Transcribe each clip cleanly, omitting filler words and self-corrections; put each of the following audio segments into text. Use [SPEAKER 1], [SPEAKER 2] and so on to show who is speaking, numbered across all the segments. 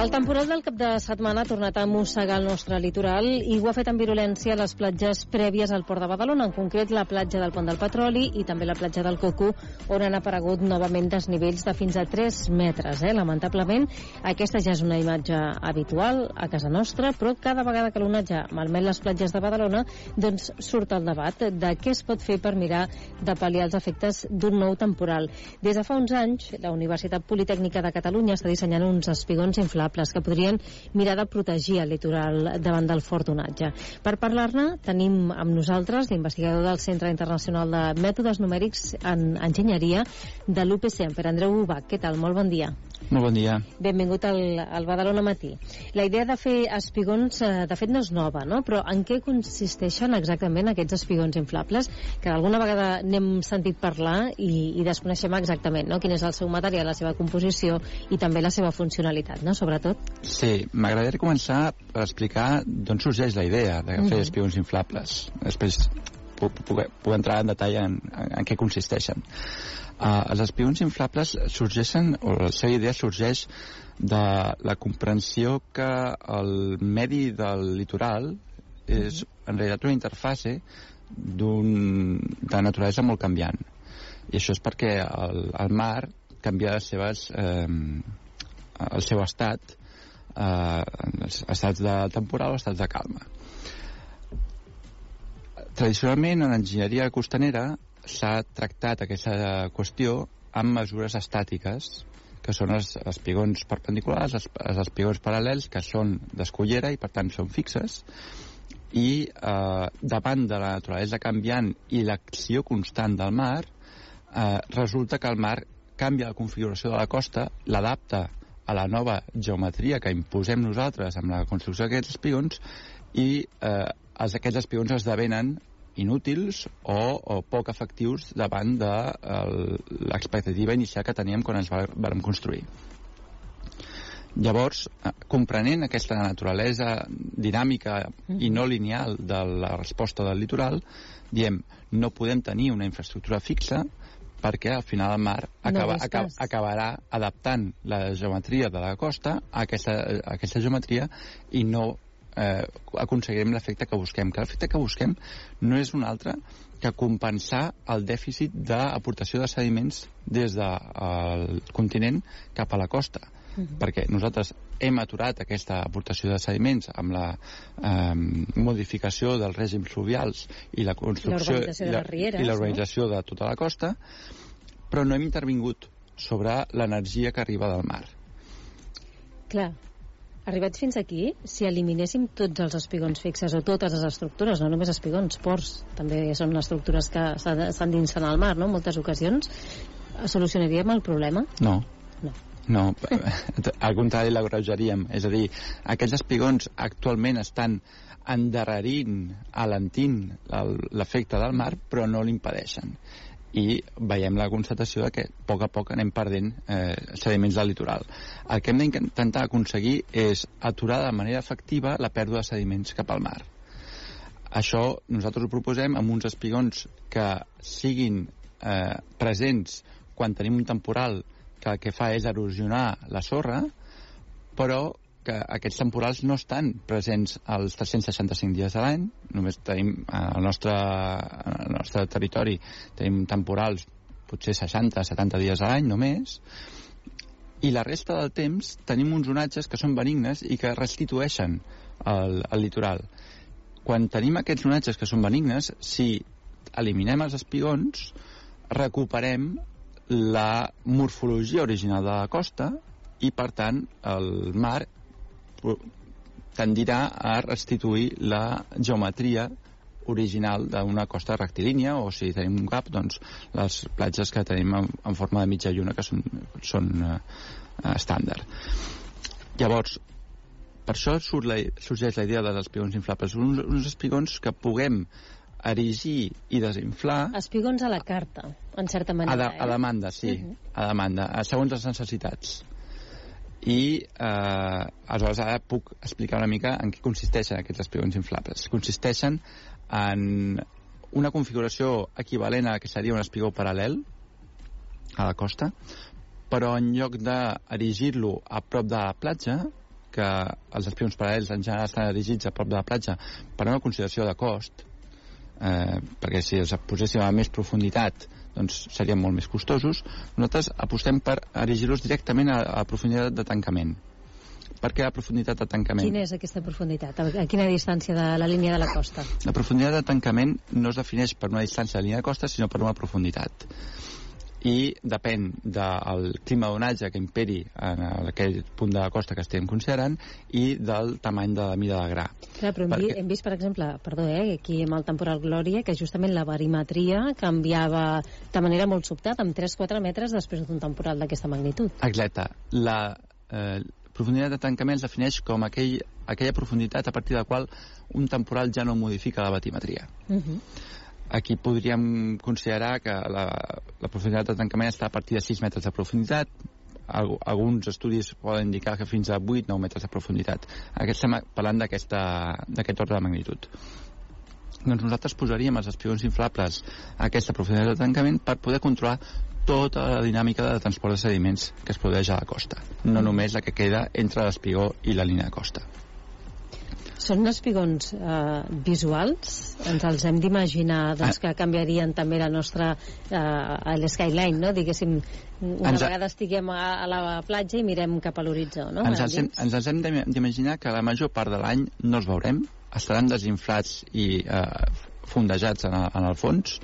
[SPEAKER 1] El temporal del cap de setmana ha tornat a mossegar el nostre litoral i ho ha fet amb virulència a les platges prèvies al Port de Badalona, en concret la platja del Pont del Petroli i també la platja del Coco, on han aparegut novament desnivells de fins a 3 metres. Lamentablement, aquesta ja és una imatge habitual a casa nostra, però cada vegada que l'onatge malmet les platges de Badalona, doncs surt el debat de què es pot fer per mirar de pal·liar els efectes d'un nou temporal. Des de fa uns anys, la Universitat Politècnica de Catalunya està dissenyant uns espigons inflables que podrien mirar de protegir el litoral davant del fort onatge. Per parlar-ne, tenim amb nosaltres l'investigador del Centre Internacional de Mètodes Numèrics en Enginyeria de l'UPC, en Pere Andreu Ubach. Què tal? Molt bon dia.
[SPEAKER 2] Molt bon dia.
[SPEAKER 1] Benvingut al Badalona Matí. La idea de fer espigons, de fet, no és nova, no? Però en què consisteixen exactament aquests espigons inflables? Que alguna vegada n'hem sentit parlar i desconeixem exactament, no? Quin és el seu material, la seva composició i també la seva funcionalitat, no? Sobretot.
[SPEAKER 2] Sí, m'agradaria començar per explicar d'on sorgeix la idea de fer espigons inflables. Després puc entrar en detall en què consisteixen. Els espigons inflables sorgeixen, o la seva idea sorgeix de la comprensió que el medi del litoral és en realitat una interfase de naturalesa molt canviant. I això és perquè el mar canvia el seu estat, estats de temporal o estats de calma. Tradicionalment, en enginyeria costanera s'ha tractat aquesta qüestió amb mesures estàtiques, que són els espigons perpendiculars, els espigons paral·lels, que són d'escullera i per tant són fixes, i davant de la naturalesa canviant i l'acció constant del mar, resulta que el mar canvia la configuració de la costa, l'adapta a la nova geometria que imposem nosaltres amb la construcció d'aquests espigons, i aquests espigons esdevenen inútils o poc efectius davant de l'expectativa inicial que teníem quan ens vam construir. Llavors, comprenent aquesta naturalesa dinàmica i no lineal de la resposta del litoral, diem, no podem tenir una infraestructura fixa perquè al final el mar acabarà adaptant la geometria de la costa a aquesta geometria i no aconseguirem l'efecte que busquem. Que l'efecte que busquem no és un altre que compensar el dèficit d'aportació de sediments des del continent cap a la costa. Perquè nosaltres hem aturat aquesta aportació de sediments amb la modificació dels règims fluvials i la construcció i l'urbanització de tota la costa, però no hem intervingut sobre l'energia que arriba del mar.
[SPEAKER 1] Clar. Arribats fins aquí, si eliminéssim tots els espigons fixes o totes les estructures, no només espigons, ports, també són estructures que s'endinsen al mar, no?, en moltes ocasions, solucionaríem el problema?
[SPEAKER 2] No, al contrari, l'agreujaríem. És a dir, aquests espigons actualment estan endarrerint, alentint l'efecte del mar, però no l'impedeixen. I veiem la constatació de que a poc anem perdent sediments del litoral. El que hem d'intentar aconseguir és aturar de manera efectiva la pèrdua de sediments cap al mar. Això nosaltres ho proposem amb uns espigons que siguin presents quan tenim un temporal que el que fa és erosionar la sorra, però que aquests temporals no estan presents als 365 dies de l'any. Només tenim al nostre territori tenim temporals potser 60-70 dies a l'any només, i la resta del temps tenim uns onatges que són benignes i que restitueixen el litoral. Quan tenim aquests onatges que són benignes, si eliminem els espigons, recuperem la morfologia original de la costa i, per tant, el mar tendirà a restituir la geometria original d'una costa rectilínia, o si tenim un gap, doncs les platges que tenim en forma de mitja lluna, que són estàndard. Llavors, per això sorgeix la idea dels espigons inflables, uns espigons que puguem erigir i desinflar.
[SPEAKER 1] Espigons a la carta, en certa manera.
[SPEAKER 2] A demanda, sí, a demanda, segons les necessitats. I aleshores ara puc explicar una mica en què consisteixen aquests espigons inflables. Consisteixen en una configuració equivalent a la que seria un espigó paral·lel a la costa, però en lloc d'erigir-lo a prop de la platja, que els espigons paral·lels en general estan erigits a prop de la platja per una consideració de cost, perquè si els poséssim a més profunditat doncs serien molt més costosos, nosaltres apostem per erigir-los directament a profunditat de tancament. Per què la profunditat de tancament?
[SPEAKER 1] Quina és aquesta profunditat? A quina distància de la línia de la costa?
[SPEAKER 2] La profunditat de tancament no es defineix per una distància de la línia de costa, sinó per una profunditat. I depèn del clima d'onatge que imperi en aquell punt de la costa que estem considerant i del tamany de la mida del gra.
[SPEAKER 1] Clar, però hem vist, per exemple, aquí amb el temporal Glòria, que justament la barimetria canviava de manera molt sobtada, amb 3-4 metres després d'un temporal d'aquesta magnitud.
[SPEAKER 2] Exacte. La profunditat de tancament es defineix com aquella profunditat a partir de la qual un temporal ja no modifica la batimetria. Aquí podríem considerar que la profunditat de tancament està a partir de 6 metres de profunditat. Alguns estudis poden indicar que fins a 8-9 metres de profunditat. Estem parlant d'aquest ordre de magnitud. Doncs nosaltres posaríem els espigons inflables a aquesta profunditat de tancament per poder controlar tota la dinàmica de transport de sediments que es produeix a la costa, no només la que queda entre l'espigó i la línia de costa.
[SPEAKER 1] Són espigons visuals? Ens els hem d'imaginar que canviarien també la nostra skyline, no? Diguéssim, una vegada estiguem a la platja i mirem cap a l'horitzó, no? Ens
[SPEAKER 2] els hem d'imaginar que la major part de l'any no els veurem, estaran desinflats i fondejats en el fons,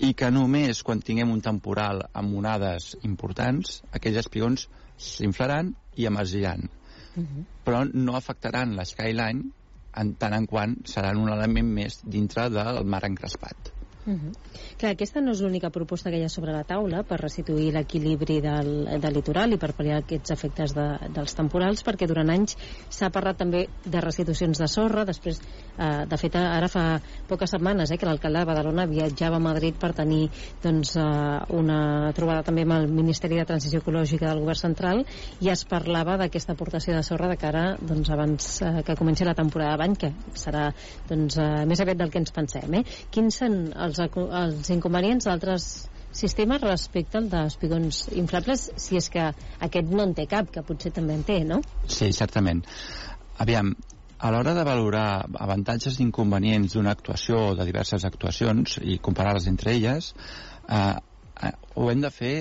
[SPEAKER 2] i que només quan tinguem un temporal amb onades importants, aquells espigons s'inflaran i emergiran. Però no afectaran la skyline en tant en quant seran un element més dintre del mar encrespat.
[SPEAKER 1] Clar, aquesta no és l'única proposta que hi ha sobre la taula per restituir l'equilibri del litoral i per pal·liar aquests efectes dels temporals, perquè durant anys s'ha parlat també de restitucions de sorra. Després, de fet, ara fa poques setmanes que l'alcalde de Badalona viatjava a Madrid per tenir una trobada també amb el Ministeri de Transició Ecològica del Govern Central, i es parlava d'aquesta aportació de sorra de cara abans que comenci la temporada d'any, que serà més aviat del que ens pensem. Quins són els inconvenients d'altres sistemes respecte al d'espigons inflables, si és que aquest no en té cap, que potser també en té, no?
[SPEAKER 2] Sí, certament. Aviam, a l'hora de valorar avantatges i inconvenients d'una actuació o de diverses actuacions i comparar-les entre elles, ho hem de fer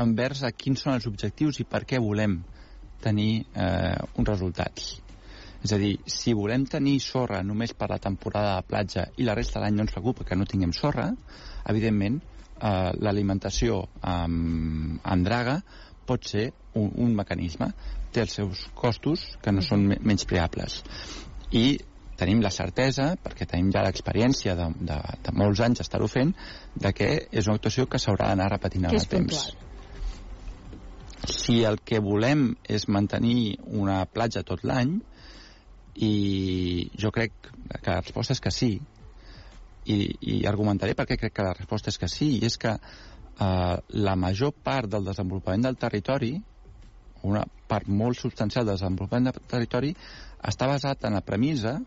[SPEAKER 2] envers a quins són els objectius i per què volem tenir uns resultats. És a dir, si volem tenir sorra només per la temporada de platja i la resta de l'any no ens preocupa que no tinguem sorra, evidentment l'alimentació amb draga pot ser un mecanisme. Té els seus costos que no són menyspreables. I tenim la certesa, perquè tenim ja l'experiència de molts anys d'estar-ho fent, de que és una actuació que s'haurà d'anar repetint en el temps. Si el que volem és mantenir una platja tot l'any, i jo crec que la resposta és que sí, i argumentaré per què crec que la resposta és que sí, i és que la major part del desenvolupament del territori, una part molt substancial del desenvolupament del territori, està basat en la premissa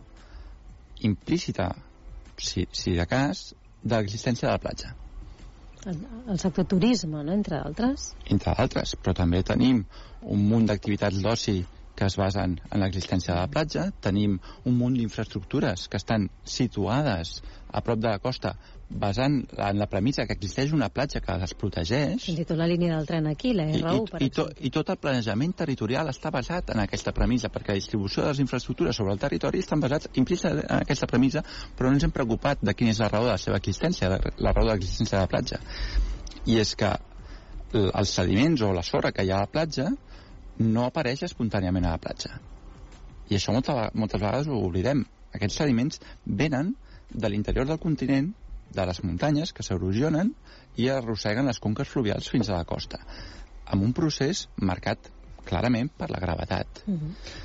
[SPEAKER 2] implícita, si de cas, de l'existència de la platja.
[SPEAKER 1] El sector turisme, no?, entre altres.
[SPEAKER 2] Entre altres, però també tenim un munt d'activitats d'oci que es basen en l'existència de la platja. Tenim un munt d'infraestructures que estan situades a prop de la costa basant en la premissa que existeix una platja que les protegeix.
[SPEAKER 1] Fins i tot la línia del tren aquí, la R1, per exemple.
[SPEAKER 2] I tot el planejament territorial està basat en aquesta premissa, perquè la distribució de les infraestructures sobre el territori estan basats implícitament en aquesta premissa, però no ens hem preocupat de quina és la raó de la seva existència, la raó de l'existència de la platja. I és que els sediments o la sorra que hi ha a la platja no apareix espontàniament a la platja. I això moltes vegades ho oblidem. Aquests sediments venen de l'interior del continent, de les muntanyes, que s'erosionen i arrosseguen les conques fluvials fins a la costa, amb un procés marcat clarament per la gravetat.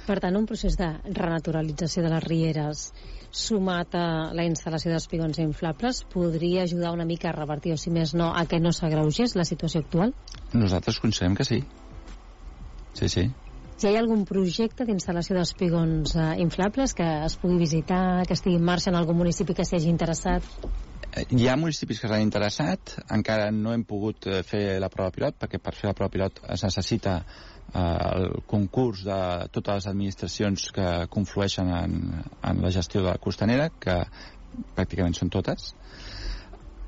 [SPEAKER 1] Per tant, un procés de renaturalització de les rieres sumat a la instal·lació d'espigons inflables podria ajudar una mica a revertir, o si més no, a que no s'agreugés la situació actual?
[SPEAKER 2] Nosaltres considerem que sí. Sí.
[SPEAKER 1] Si hi ha algun projecte d'instal·lació d'espigons inflables que es pugui visitar, que estigui en marxa en algun municipi que s'hi hagi interessat?
[SPEAKER 2] Hi ha municipis que s'han interessat, encara no hem pogut fer la prova pilot, perquè per fer la prova pilot es necessita el concurs de totes les administracions que conflueixen en la gestió de la costanera, que pràcticament són totes,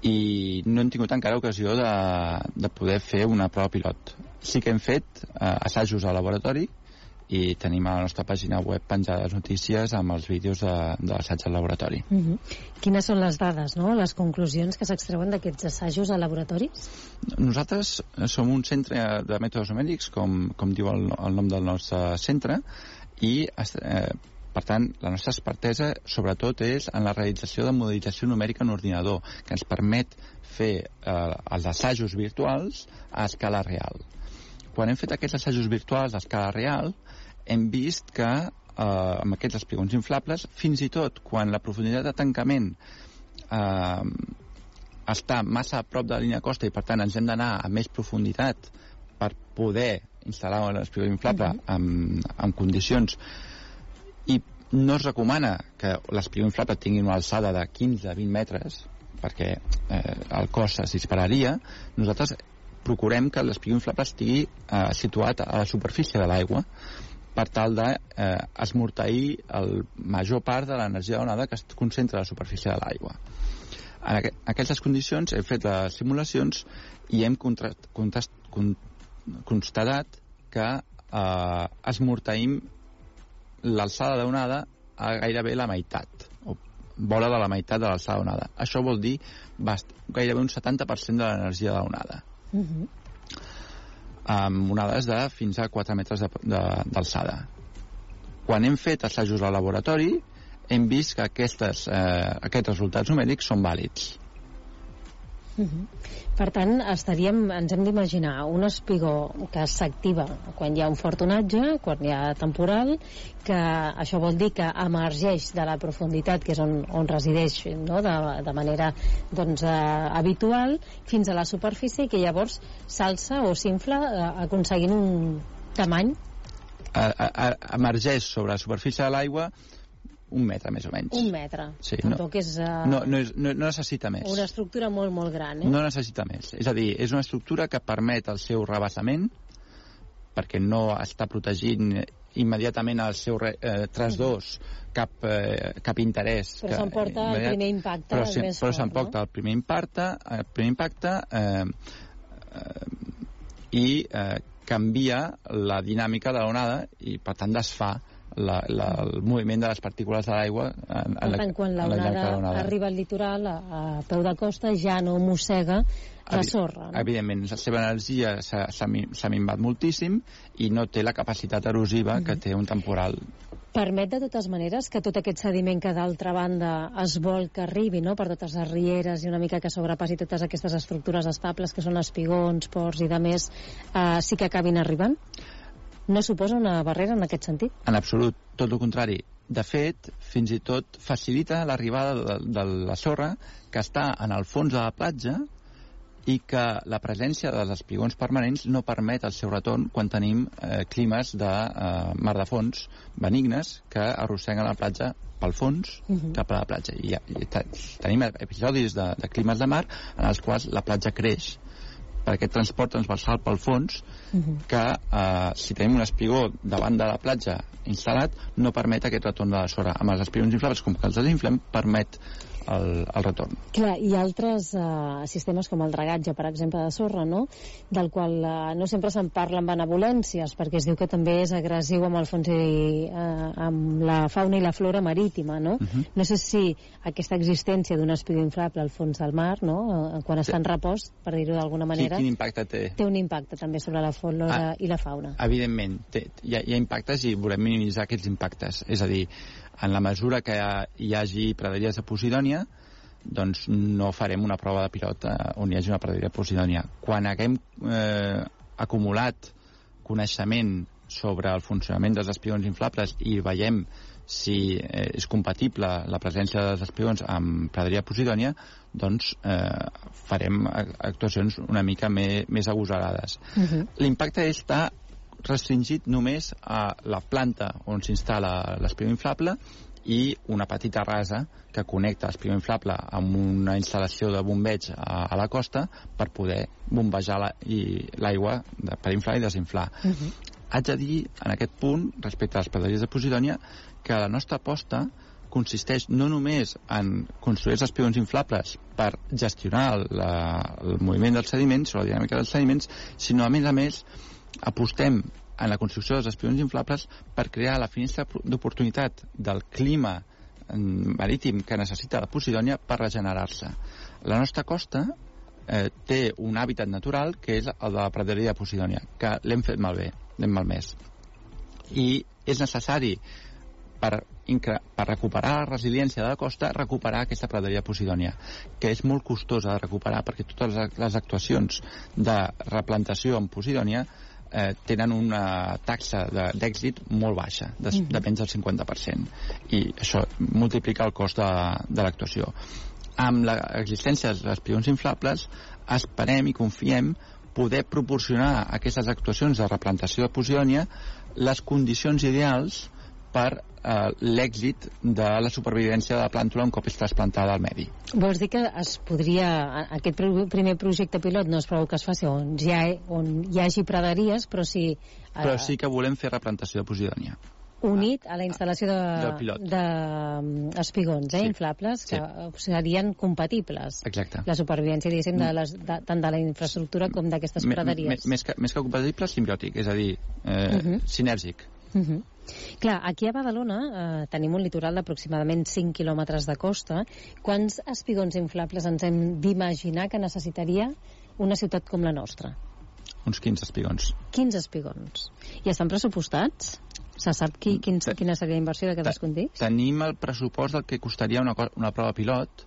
[SPEAKER 2] i no hem tingut encara ocasió de poder fer una prova pilot. Sí que hem fet assajos a laboratori, i tenim a la nostra pàgina web penjades notícies amb els vídeos de l'assaig al laboratori.
[SPEAKER 1] Quines són les dades, no? Les conclusions que s'extreuen d'aquests assajos a laboratoris?
[SPEAKER 2] Nosaltres som un centre de mètodes numèrics, com diu el nom del nostre centre, i per tant la nostra expertesa sobretot és en la realització de modelització numèrica en ordinador, que ens permet fer els assajos virtuals a escala real. Quan hem fet aquests assajos virtuals a escala real, hem vist que amb aquests espigons inflables, fins i tot quan la profunditat de tancament està massa a prop de la línia de costa i per tant ens hem d'anar a més profunditat per poder instal·lar un espigó inflable en condicions, i no es recomana que l'espigó inflable tingui una alçada de 15-20 metres perquè el cost es dispararia. Nosaltres procurem que l'espigó inflable estigui situat a la superfície de l'aigua per tal d'esmorteir el major part de l'energia de l'onada que es concentra a la superfície de l'aigua. En aquestes condicions hem fet les simulacions i hem constatat que esmorteïm l'alçada d'onada a gairebé la meitat, o vora de la meitat de l'alçada d'onada. Això vol dir gairebé un 70% de l'energia de l'onada. Amb onades de fins a 4 metres d'alçada. Quan hem fet assajos al laboratori, hem vist que aquests resultats numèrics són vàlids.
[SPEAKER 1] Per tant, ens hem d'imaginar un espigó que s'activa quan hi ha un fort onatge, quan hi ha temporal, que això vol dir que emergeix de la profunditat, que és on resideix, no? de manera habitual, fins a la superfície, i que llavors s'alça o s'infla aconseguint un tamany.
[SPEAKER 2] Emergeix sobre la superfície de l'aigua 1 metre, més o menys.
[SPEAKER 1] 1 metre.
[SPEAKER 2] Sí,
[SPEAKER 1] tampoc és...
[SPEAKER 2] No necessita més.
[SPEAKER 1] Una estructura molt, molt gran,
[SPEAKER 2] No necessita més. És a dir, és una estructura que permet el seu rebassament, perquè no està protegint immediatament el seu trasdors cap interès.
[SPEAKER 1] Però s'emporta el primer impacte més fort,
[SPEAKER 2] però s'emporta el primer impacte i canvia la dinàmica de l'onada i, per tant, desfà el moviment de les partícules de l'aigua
[SPEAKER 1] per tant, quan l'onada arriba al litoral a peu de costa ja no mossega la sorra, no?
[SPEAKER 2] Evidentment, la seva energia s'ha minvat moltíssim i no té la capacitat erosiva que té un temporal.
[SPEAKER 1] Permet de totes maneres que tot aquest sediment que d'altra banda es vol que arribi, no?, per totes les rieres i una mica que sobrepassi totes aquestes estructures estables que són espigons, ports i de més, sí que acabin arribant? No suposa una barrera en aquest sentit?
[SPEAKER 2] En absolut, tot el contrari. De fet, fins i tot facilita l'arribada de la sorra que està en el fons de la platja i que la presència dels espigons permanents no permet el seu retorn quan tenim climes de mar de fons benignes que arrosseguen la platja pel fons cap a la platja. I tenim episodis de climes de mar en els quals la platja creix per aquest transport transversal pel fons que si tenim un espigó davant de la platja instal·lat no permet aquest retorn de la sorra. Amb els espigons inflables, com que els desinflem, permet el retorn.
[SPEAKER 1] Clar, hi ha altres sistemes com el dragatge, per exemple, de sorra, no?, del qual no sempre se'n parla amb benevolències, perquè es diu que també és agressiu amb el fons i amb la fauna i la flora marítima, no? No sé si aquesta existència d'un espigó inflable al fons del mar, no?, quan està en repòs, per dir-ho d'alguna manera,
[SPEAKER 2] quin impacte té?
[SPEAKER 1] Té un impacte també sobre la flora i la fauna.
[SPEAKER 2] Evidentment, hi ha impactes i volem minimitzar aquests impactes. És a dir, en la mesura que hi hagi praderies de Posidònia, doncs no farem una prova de pilot on hi hagi una praderia de Posidònia. Quan haguem acumulat coneixement sobre el funcionament dels espigons inflables i veiem si és compatible la presència dels espigons amb praderia de Posidònia, doncs farem actuacions una mica més agosarades. L'impacte està restringit només a la planta on s'instal·la l'espigó inflable i una petita rasa que connecta l'espigó inflable amb una instal·lació de bombeig a la costa per poder bombejar l'aigua per inflar i desinflar. Haig de dir, en aquest punt, respecte a les praderies de Posidònia, que la nostra aposta consisteix no només en construir els espigons inflables per gestionar el moviment dels sediments o la dinàmica dels sediments, sinó, a més, apostem en la construcció dels espigons inflables per crear la finestra d'oportunitat del clima marítim que necessita la Posidònia per regenerar-se. La nostra costa té un hàbitat natural que és el de la praderia de Posidònia, que l'hem fet malbé, l'hem malmès. I és necessari per recuperar la resiliència de la costa, recuperar aquesta praderia de Posidònia, que és molt costosa de recuperar perquè totes les actuacions de replantació en Posidònia tenen una taxa d'èxit molt baixa, de menys del 50%, i això multiplica el cost de l'actuació. Amb l'existència dels espigons inflables esperem i confiem poder proporcionar a aquestes actuacions de replantació de Posidònia les condicions ideals per l'èxit de la supervivència de la plàntula un cop és trasplantada al medi.
[SPEAKER 1] Vols dir que es podria, aquest primer projecte pilot no es preveu que es faci on hi hagi praderies, però sí...
[SPEAKER 2] Però sí que volem fer replantació de Posidònia.
[SPEAKER 1] Unit a la instal·lació d'espigons inflables que serien compatibles.
[SPEAKER 2] Exacte.
[SPEAKER 1] La supervivència, diguéssim, tant de la infraestructura com d'aquestes praderies.
[SPEAKER 2] Més que compatible, simbiòtic, és a dir, sinèrgic.
[SPEAKER 1] Clar, aquí a Badalona tenim un litoral d'aproximadament 5 quilòmetres de costa. Quants espigons inflables ens hem d'imaginar que necessitaria una ciutat com la nostra?
[SPEAKER 2] Uns 15 espigons.
[SPEAKER 1] 15 espigons. I estan pressupostats? Se sap quina seria la inversió de cadascun d'ells?
[SPEAKER 2] Tenim el pressupost del que costaria una prova pilot,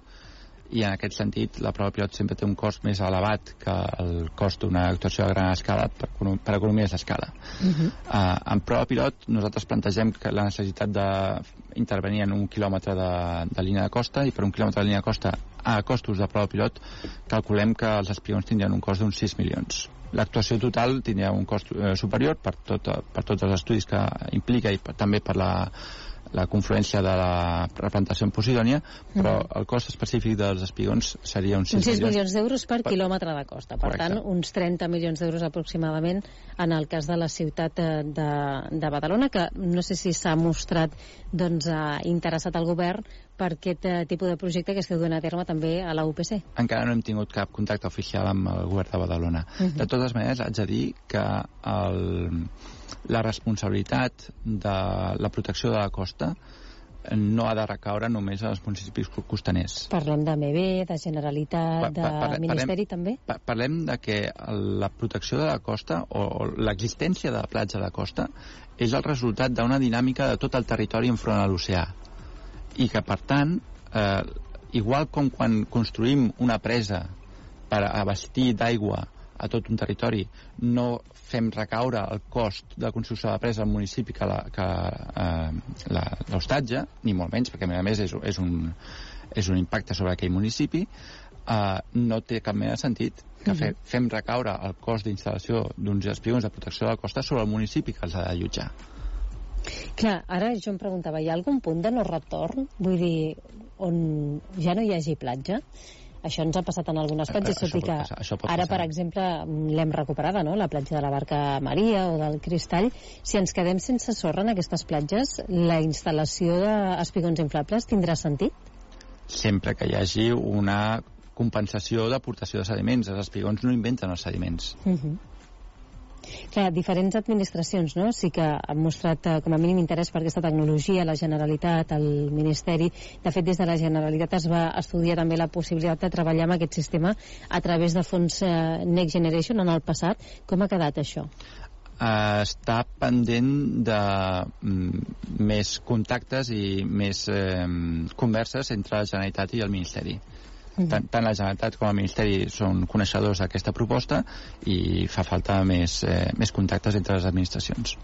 [SPEAKER 2] i en aquest sentit la prova pilot sempre té un cost més elevat que el cost d'una actuació a gran escala per economies d'escala. En prova pilot nosaltres plantegem que la necessitat d'intervenir en 1 quilòmetre de línia de costa, i per 1 quilòmetre de línia de costa a costos de prova pilot calculem que els espigons tindrien un cost d'uns 6 milions. L'actuació total tindria un cost superior per tots els estudis que implica i també per la confluència de la replantació en Posidònia, però el cost específic dels espigons seria uns 6
[SPEAKER 1] milions d'euros per quilòmetre de costa. Per tant, uns 30 milions d'euros aproximadament en el cas de la ciutat de Badalona, que no sé si s'ha mostrat interessat al govern per aquest tipus de projecte que esteu duent a terme també a la UPC.
[SPEAKER 2] Encara no hem tingut cap contacte oficial amb el govern de Badalona. De totes maneres, haig de dir que la responsabilitat de la protecció de la costa no ha de recaure només als municipis costaners.
[SPEAKER 1] Parlem de MB, de Generalitat, de Ministeri també?
[SPEAKER 2] Parlem de que la protecció de la costa o l'existència de la platja de la costa és el resultat d'una dinàmica de tot el territori enfront a l'oceà, i que per tant igual com quan construïm una presa per abastir d'aigua a tot un territori, no fem recaure el cost de construcció de la presa al municipi que l'hostatge, ni molt menys, perquè a més és un impacte sobre aquell municipi, no té cap mena de sentit que fem recaure el cost d'instal·lació d'uns espigons de protecció de la costa sobre el municipi que els ha d'allotjar.
[SPEAKER 1] Clar, ara jo em preguntava, hi ha algun punt de no retorn? Vull dir, on ja no hi hagi platja? Això ens ha passat en algunes platges, tot i que ara, per exemple, l'hem recuperada, no?, la platja de la Barca Maria o del Cristall. Si ens quedem sense sorra en aquestes platges, la instal·lació d'espigons inflables tindrà sentit?
[SPEAKER 2] Sempre que hi hagi una compensació d'aportació de sediments. Els espigons no inventen els sediments.
[SPEAKER 1] Clar, diferents administracions, no?, sí que han mostrat com a mínim interès per aquesta tecnologia, la Generalitat, el Ministeri. De fet, des de la Generalitat es va estudiar també la possibilitat de treballar amb aquest sistema a través de fons Next Generation en el passat. Com ha quedat això?
[SPEAKER 2] Està pendent de més contactes i més converses entre la Generalitat i el Ministeri. Tant la Generalitat com el Ministeri són coneixedors d'aquesta proposta i fa falta més contactes entre les administracions.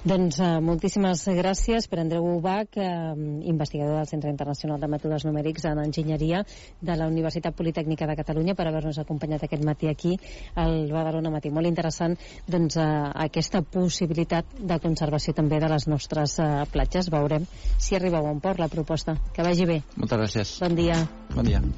[SPEAKER 1] Doncs moltíssimes gràcies per Andreu Bach, investigador del Centre Internacional de Mètodes Numèrics en Enginyeria de la Universitat Politècnica de Catalunya, per haver-nos acompanyat aquest matí aquí al Badalona Matí. Molt interessant aquesta possibilitat de conservació també de les nostres platges. Veurem si arriba a bon port la proposta. Que vagi bé.
[SPEAKER 2] Moltes gràcies.
[SPEAKER 1] Bon dia.
[SPEAKER 2] Bon dia.